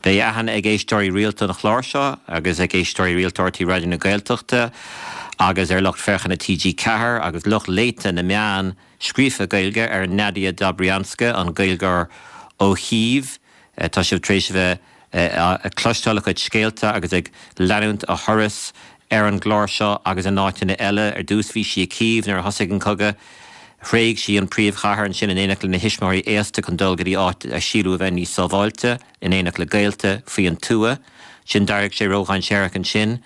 Beidh aithne ag éisteoirí rialta an chláir seo agus ag éisteoirí rialta RTÉ Raidió na Gaeltachta agus ar lucht féachana TG4 agus lucht léite na meán scríofa Gaeilge ar Nadia Dobrianska, an Gaeilgeoir ó Chív. Tá sibh tar éis a bheith ag cloisteáil a cuid scéalta agus ag leanúint a thuras ar an gclár seo agus in áiteanna eile. Ar dtús bhí sí i Cív nuair a thosaigh an cogadh. Thréig sí an príomhchathair ansin in éineacht lena thuismitheoirí aosta chun dul go dtí áit a síleadh a bheith níos sábháilte, in éineacht le gaolta faoi an tuath. Sin d'éirigh sé ródhainséarach ansin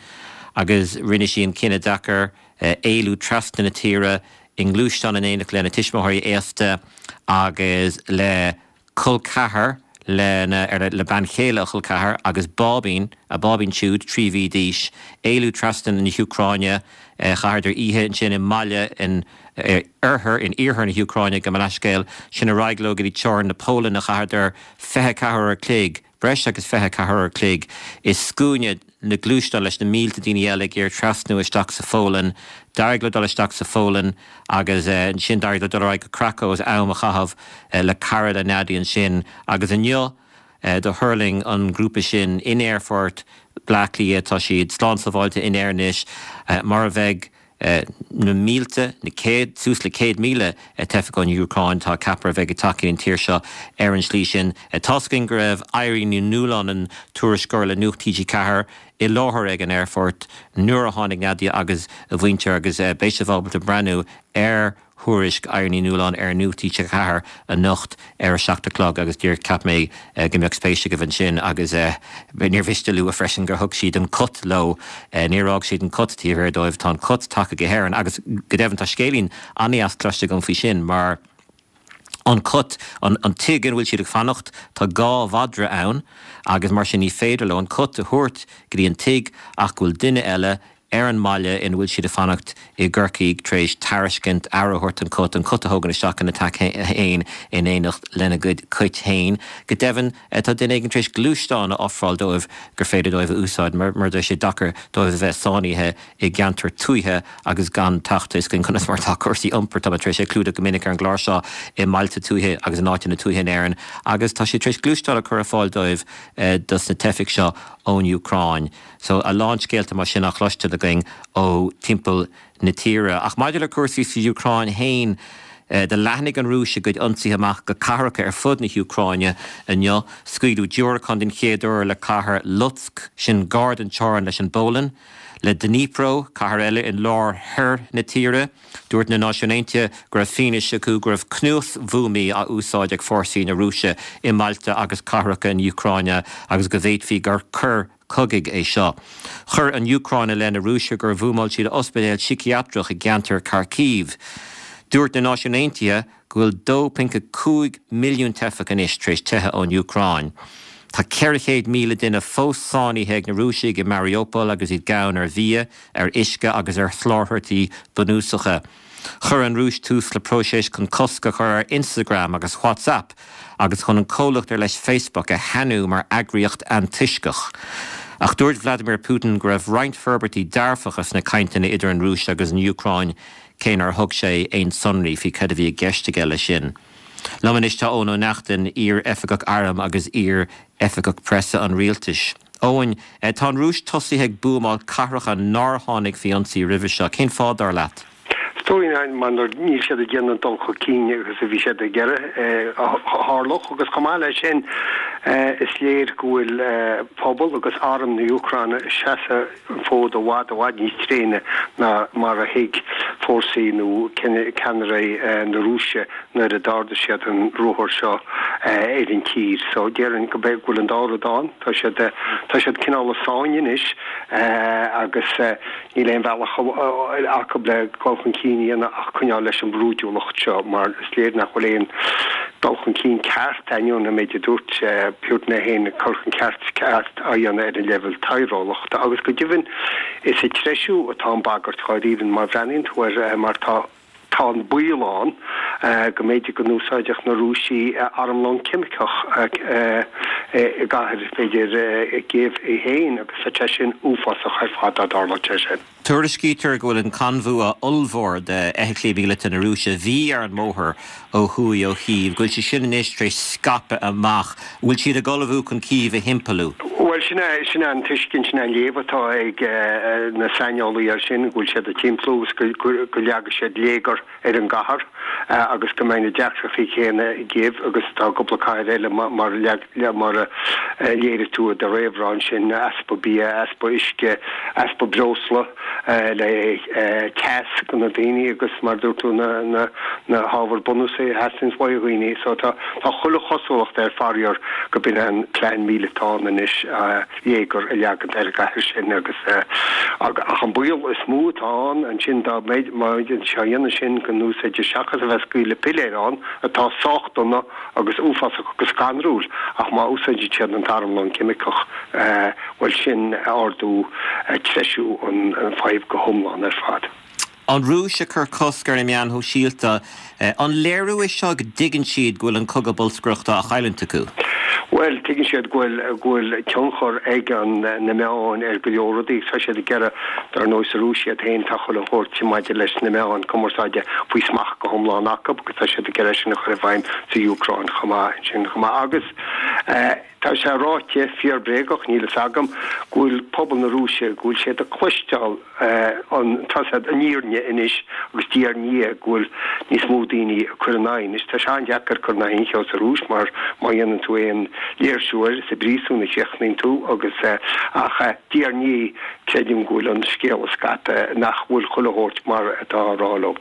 agus rinne sí an cinneadh deacair éalú trasna na tíre i ngluaisteán in éineacht lena tuismitheoirí aosta agus le col ceathar lena, le bean chéile a chol ceathar agus báibín, a báibín siúd, 3 mhí d'aois, éalú trasna na hÚcráine, chaitheadar oíche ansin i mbaile in oirthear, in iarthar na hÚcráine, gabh mo leithscéal, sin ar aghaidh leo go dtí teorainn na Polainne, chaitheadar 24 uair a chloig, breis agus 24 uair a chloig i scuaine na ngluaisteán leis na mílte daoine eile ag iarraidh trasnú isteach sa Pholainn. D'éirigh leo dul isteach sa Pholainn agus ansin d'éirigh leo dul ar aghaidh go Krakow agus am a chaitheamh le cara le Nadia ansin agus inniu do thuirling an grúpa sin in aerfort Bhaile Átha Cliath. Tá siad slán sábháilte in Éirinn anois mar a bheidh na mílte, na céad, suas le 100,000 teifeach ón Úcráin, tá ceaptha a bheidh ag teacht go dtí an tír seo ar an slí sin. Tá's againn go raibh Irene Ní Nualláin, an tuairisceoir le Nuacht TG4, i láthair ag an aerfort nuair a tháinig Nadia agus a mhuintir agus beidh sibh ábalta breathnú ar thuairisc Irene Ní Nualláin ar Nuacht TG4 anocht ar a 7 a chlog agus díreach cheap mé go mbeadh spéis agaibh ansin agus níor mhiste a lua freisin gur thug siad an cat leo, níor fhág siad an cat taobh thiar dóibh, tá an cat tagtha go hÉirinn agus go deimhin tá scéilín an-deas cloiste agam faoi sin mar an cat, an tigh ina bhfuil siad ag fanacht, tá dhá mhadra ann agus mar sin ní féidir leo an cat a thabhairt go dtí an tigh ach go bhfuil duine eile ar an mbaile ina bhfuil siad ag fanacht i gCorcaigh tar éis tairiscint aire a thabhairt don cat, an cat a thógaint isteach ina teach féin in éineacht lena gcuid cait féin. Go deimhin, tá duine éigin tar éis gluaisteán a ofráil dóibh gur féidir dóibh a úsáid mar tá sé deacair dóibh a bheith sáinnithe i gceantar tuaithe agus gan teacht a fhios againn conas mar atá cúrsaí iompair. Tá mé tar éis é a chlúdach go minic ar an gclár seo i mbailte tuaithe agus in áiteanna tuaithe in Éirinn agus tá siad tar éis gluaisteán a chur ar fáil dóibh dos na teifigh seo ón Úcráin. So, a lán scéalta mar sin á chloisteáil againn ó timpeall na tíre. Ach maidir le cúrsaí sa Úcráin fhéin, do leathnaigh an Rúis a gcuid ionsaithe amach go cathracha ar fud na hÚcráine inniu. Scaoileadh diúracáin den chéad uair le cathair Lutsk, sin gar don teorainn leis an bPolainn, le Dnipro, cathair eile in lár thoir na tíre. Dúirt na Náisiúin Aontaithe go raibh fianaise acu go raibh cnuasbhuamaí á úsáid ag fórsaí na Rúise i mbailte agus cathracha na hÚcráine agus go bhféadfaí gur coir cogaidh é seo. Chuir an Úcráin i leith na Rúise gur bhuamáil siad ospidéal síciatrach i gceantar Kharkiv. Dúirt na Náisiúin Aontaithe go bhfuil 2.5 milliún teifeach anois tar éis teitheadh ón Úcráin. Tá 400,000 duine fós sáinnithe ag na Rúisigh i Mariupol agus iad gann ar bhia, ar uisce agus ar sholáthairtí bunúsacha. Chuir an Rúis tús le próiseas chun cosc a chur ar Instagram agus WhatsApp agus chun an comhlacht ar leis Facebook a shainiú mar eagraíocht antoisceach. Ach dúirt Vladimir Putin go raibh roinnt forbairtí dearfacha sna cainteanna idir an Rúis agus an Úcráin, cé nár thug sé aon sonraí faoi cad a bhí i gceist aige leis sin. Liom anois tá Eoin Ó Neachtain, iar-oifigeach airm agus iar-oifigeach preasa an rialtais. Eoin, tá an Rúis tosaithe ag buamáil cathracha nár tháinig faoi ionsaí roimhe seo. Cén fáth, dar leat? Is dóigh mar níl siad ag déanamh an dul chun cinn agus a bhí siad ag iarraidh a tharlódh agus chomh maith leis sin is léir go bhfuil pobal agus arm na hÚcráine ag seasamh an fód i bhfad i bhfad níos tréine ná mar a thuig fórsaí nó ceannairí na Rúise nuair a d'ardaigh siad an ruathar seo ar an tír. So déarfainn go bhfuil an dá rud ann. Tá siad tá siad cineál i sáinn anois agus níl aon bhealach acu le dul chun cinn a dhéanamh ach coinneáil leis an mbrúidiúlacht seo mar is léir nach bhfuil aon dul chun cinn ceart, ainneoin an méid a dúirt Putin é féin, cur chun ceart ceart á dhéanamh ar an leibhéal taidhreolachta. Agus go deimhin is ag treisiú atá an bhagairt dháiríre má bhreathnaíonn tú air mar tá tá an baol ann. go mb'fhéidir go n-úsáidfeadh na Rúisigh armlón ceimiceach i gcathair, b'fhéidir, Cív í féin agus bheadh sé sin uafásach ar fad dá dtarlódh sé sin. Tuairiscítear go bhfuil an conbhua ollmhór d'fheithiclí míleata na Rúise a bhí ar an mbóthar ó thuaidh ó Chív, go bhfuil sé sin anois tar éis scaipeadh amach. An bhfuil siad ag ullmhú chun Cív a thimpeallú? Bhuel, sin é, sin é an tuiscint, sin é an léamh atá ag na saineolaithe air sin, go bhfuil siad ag timpeallú agus go leagfaidh siad léigear ar an gcathair agus go mbeidh na deacrachtaí céanna i gCív agus atá i gcúpla cathair eile mar mar a léirigh tú i do réamhrá ansin, easpa bia, easpa uisce, easpa breosla le teas do na daoine agus mar a dúirt tú na na hábhair bunúsacha a theastaíonns uaidh dhaoine. So tá tá chuile chosúlacht air faraor go b'in é an plean míleata ann anois. léigear a leagan ar an gcathair sin agus ach an baol is mó atá ann ansin dá mbeidh má dhéanann sin go n-úsáidfidh seachas a bheith ag scaoileadh piléir ann atá sách dona agus uafásach agus scanrúil ach má úsáideann siad an t-armlón ceimiceach bhuel sin ardú treisiú an fadhb go hiomlán ar fad. An Rúis ag cur cosc ar na meáin shóisialta, an léiriú é seo go dtuigeann siad go bhfuil an cogadh bolscaireachta á chailliúint acu? Bhuel, tuigeann siad go bhfuil, go bhfuil tionchar ag an, na meáin ar go leor rudaí agus tá siad ag iarraidh, dar ndóigh sa Rúis iad féin, tá chuile shórt maidir leis na meáin cumarsáide faoi smacht go hiomlán acu agus tá siad ag iarraidh é sin a chur i bhfeidhm sa Úcráin chomh maith ansin chomh maith agus eh, Tá sé ráite, fíor bréagach, níl fhios agam, go bhfuil pobal na Rúise, go bhfuil siad ag cloisteáil an, tá siad, an fhírinne anois agus diaidh ar ndiaidh go bhfuil níos mó daoine ag cur ina aghaidh. Anois tá sé an-deacair cur in aghaidh aon cheo sa Rúis mar má dhéanann tú aon léirsiú air is i bpríosún a chríochnaíonn tú agus ach diaidh ar ndiaidh creidim go bhfuil an scéal ag scaipeadh nach bhfuil chuile shórt mar atá á rá leo.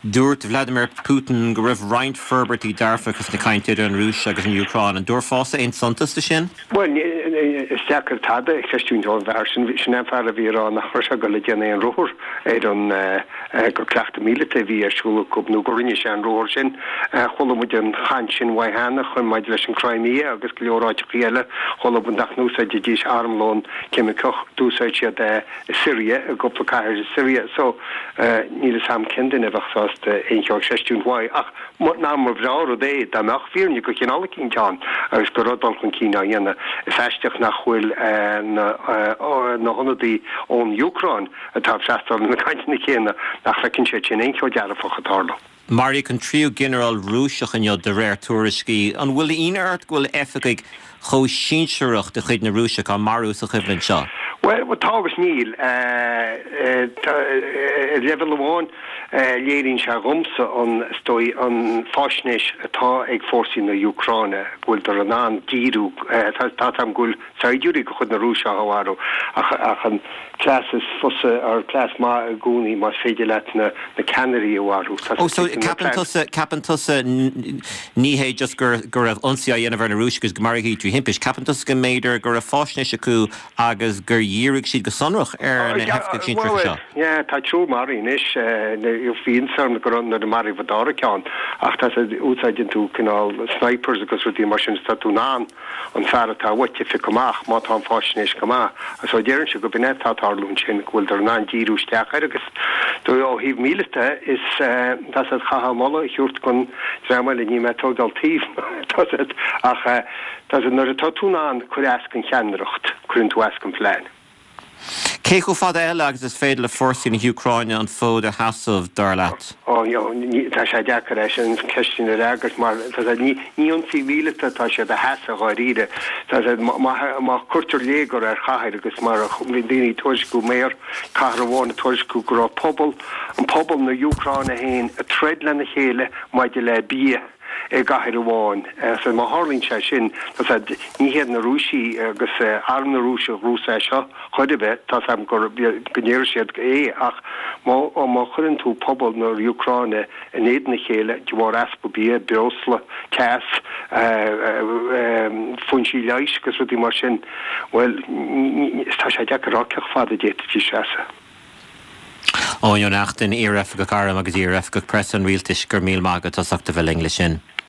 Dúirt Vladimir Putin go raibh roinnt forbairtí dearfacha sna cainteanna idir an Rúis agus an Úcráin. An dtabharfása aon suntas do sin? Bhuel, is deacair tada a chreistiúint ón bhfear sin. Sin é an fear a bhí ag rá nach raibh sé ag dul ag déanamh aon ruathar ar an go cleachtadh míleata a bhí ar siúl acu nó gur rinne sé an ruathar sin. Chuala muid an chaint sin uaidh cheana chun maidir leis an Crimea agus go leor áiteachaí eile. Chuala muid nach n-úsáidfidís armlón ceimiceach. D'úsáid siad é i Siria, i gcúpla cathair i Siria. So, níl fhios a'm cén duine a bheadh sásta aon cheo a chreistiúint uaidh, ach nach mba bhreá rud é dá mbeadh fírinne de chineál eicínt ann agus go raibh dul chun cinn á dhéanamh. Is aisteach nach bhfuil na na hionadaí ón Úcráin atá ag freastal ar na cainteanna céanna, nach bhfeiceann siad sin aon cheo dearfach ag tarlú. Maraíodh an tríú ginearál Rúiseach inniu, de réir tuairiscí. An bhfuil ionadh ort go bhfuil oifigigh chomh sinsearach de chuid na Rúise á marú sa choimhlint seo? Bhuel, tá agus níl. Ar leibhéal amháin, léiríonn sé dhomsa an, is dóigh, an fáisnéis atá ag fórsaí na hÚcráine, go bhfuileadar in ann díriú, tá 's a'm go bhfuil saighdiúirí de chuid na Rúise á mharú ach an cleas is fusa, or cleas maith i gcónaí más féidir leat na ceannairí a mharú. Ó, so ceapann tusa, ceapann tusa ní hé just go go raibh ionsaí á dhéanamh ar na Rúisigh agus go maraíodh iad trí thimpist, ceapann tusa go mb'fhéidir go raibh fáisnéis acu agus gur dhírigh siad go sonrach ar na hoifigigh sinsearacha seo? Yeah, tá triúr maraithe anois, bhí iontas orm go raibh nuair a maraíodh an dara ceann ach tá, úsáideann tú cineál snipers agus rudaí mar sin is tá tú in ann an fear atá uait a phiocadh amach, má tá an fáisnéis go maith. So déarfainnse go b'in é atá ag tarlú ansin, go bhfuileadar in ann díriú isteach air agus ó thaobh míleata is tá siad chaithfeá moladh a thabhairt don dream eile, níl mé ag tógáil taobh tá siad ach tá siad nuair atá tú in ann cur as don cheannaireacht, cuireann tú as don phlean. Cé chomh fada eile agus is féidir le fórsaí na hÚcráine an fód a sheasamh, dar leat? Ó, tá sé deacair é sin, an cheist sin a fhreagairt mar tá sé, ní ionsaí míleata atá siad a sheasamh dháiríre. Tá sé, má cuirtear léigear ar chathair agus mar a bhí daoine ag tuairisciú, mayor cathair amháin ag tuairisciú go raibh pobal, an pobal na hÚcráine féin ag troid lena chéile maidir le bia. i gcathair amháin. So má tharlaíonn sé sin, tá sé, ní hiad na Rúisigh agus arm na Rúise a ghnóthós é seo chor ar bith, tá 's a'm gur, go ndéarfaidh siad é ach má, má chuireann tú pobal na Úcráine in éadan a chéile de bharr easpa bia, breosla, teas, foinsí leighis agus rudaí mar sin, bhuel, tá sé deacair a rá cé chomh fada a d'fhéadfaidís seasamh. Eoin Ó Neachtain, iar-oifigeach airm agus iar-oifigeach preasa an rialtais, go raibh míle maith agat as ucht a bheith linn leis sin.